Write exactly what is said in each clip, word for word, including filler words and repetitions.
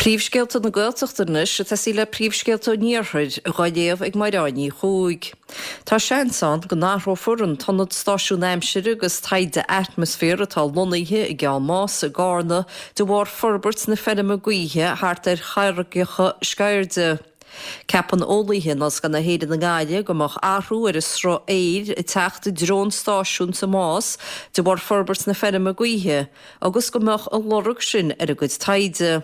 Príomhscéalta na Gaeltachta anois ag tosaí le príomhscéalta an Iarthair á léamh ag Mairéad Ní Chuaig. Tá seans ann go n-athrófar an t-ionad stáisiún aimsire agus taighde atmaisféir atá lonnaithe i gCeann Mása i gCarna de bharr forbairt na feirme gaoithe thart ar charraigeacha Sceirde. Ceapann eolaithe in Ollscoil na hÉireann i nGaillimh go mbeadh athrú ar an sruth aeir ag teacht i dtreo an stáisiúin sa Más de bharr forbairt na feirme gaoithe agus go mbeadh a lorg sin ar a gcuid taighde.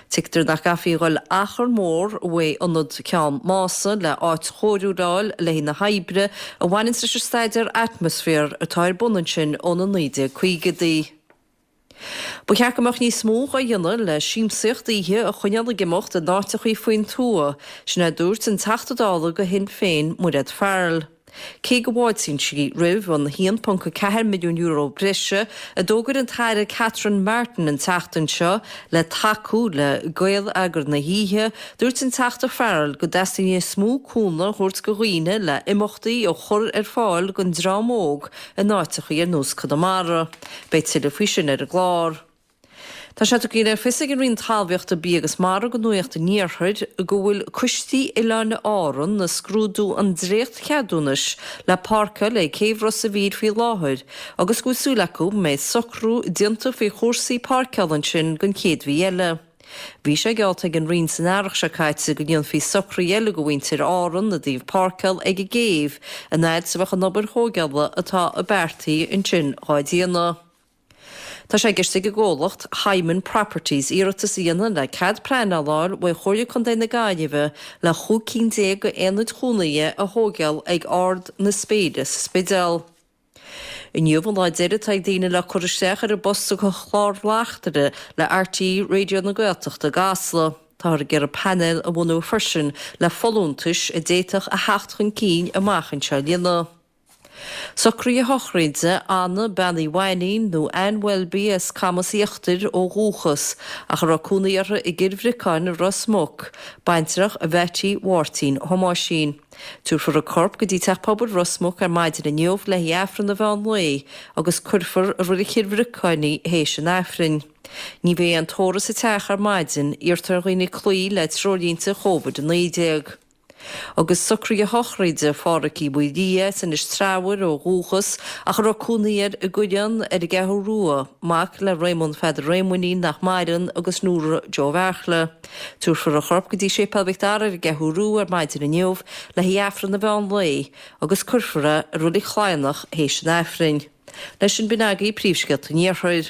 Tuigtear nach gcaithfí a dhul achar mór uaidh ionad Ceann Mása le áit chóiriúil a fháil le haghaidh na hoibre a bhaineann leis an staidéar atmaisféir atá ar bun ansin ó na naoi déag caogaidí. Ba cheart go mbeadh níos mó á dhéanamh le siamsaíocht oíche a choinneáil ag imeacht in áiteachaí faoin tuath, sin a dúirt an Teachta Dála do Shinn Féin Mairéad Farrell. Cé go bhfáiltíonn sí roimh an haon ponc ceathair milliún euro breise a d'fhógair an tAire Catherine Martin an tseachtain seo le tacú le geilleagar na hoíche, dúirt an Teachta Farrell go dteastaíonn níos mó cúnamh a thabhairt do dhaoine le imeachtaí a chur ar fáil don dream óg in áiteachaí ar nós Conamara. Beidh tuilleadh faoi sin ar an gclár. Tá sé tugtha le fios ag an Roinn Talmhaíochta, Bia agus Mara do Nuacht an Iarthair go bhfuil coistí Oileáin Árann ag scrúdú an dréacht-cheadúnais le páirceáil ag Céibh Ros a' Mhíl faoi láthair agus go bhfuil súil acu go mbeidh socrú déanta faoi chúrsaí páirceála ansin don chéad mhí eile. Bhí sé geallta ag an Roinn san earrach seo caite go ndéanfaí socruithe eile do mhuintir Árann i dtaobh páirceáil ag an gcéibh an fhad is a bheadh an obair thógála atá beartaithe ansin dhá déanamh. Tá sé i gceist ag an gcomhlacht Hyman Properties iarratas a dhéanamh le cead pleanála a fháil uaidh Chomhairle Contae na Gaillimhe le chúig cinn déag d'aonaid chónaithe a thógáil ag Ard na Spéire sa Spidéal. Inniu an lá deiridh atá ag daoine le cur isteach ar a bpost do chlár bleachtaire le RTÉ Raidió na Gaeltachta i gCasla. Táthar ag iarraidh painéal a bhunú freisin le folúntais a d'fhéadfadh a theacht chun cinn amach anseo a líonadh. Socruithe sochraide Anna Bean Uí Mhainín nó Anne Welby as Camas Íochtair ó dhúchas, ach a raibh cónaí uirthi i gCill Bhriocáin i Ros Muc, baintreach Mheaití Mháirtín Thomáisín. Tabharfar a corp go dtí Teach Pobail Ros Muc ar maidin inniu le haghaidh Aifreann an mheán lae agus cuirfear i Reilig Chill Bhriocáin í théis an Aifrinn. Ní bheidh aon tórramh sa teach ar maidin, iarrtar ar dhaoine cloí le treoirlínte Covid a naoi déag. Agus socruithe sochraide Phádhraic Uí Mhaoildhia as Inis Treabhair ó dhúchas ach a raibh cónaí air i gCuilleán ar an gCeathrú Rua, mac le Réamonn Pheadair Réamoinnín nach maireann agus Nóra Joe Bheartla. Tabharfar a chorp go dtí Séipéal Mhic Dara ar an gCeathrú Rua ar maidin inniu le haghaidh Aifreann an mheán lae agus cuirfear é i Reilig Chladhnach théis an Aifrinn. Leis sin b'in agaibh príomhscéalta an Iarthair.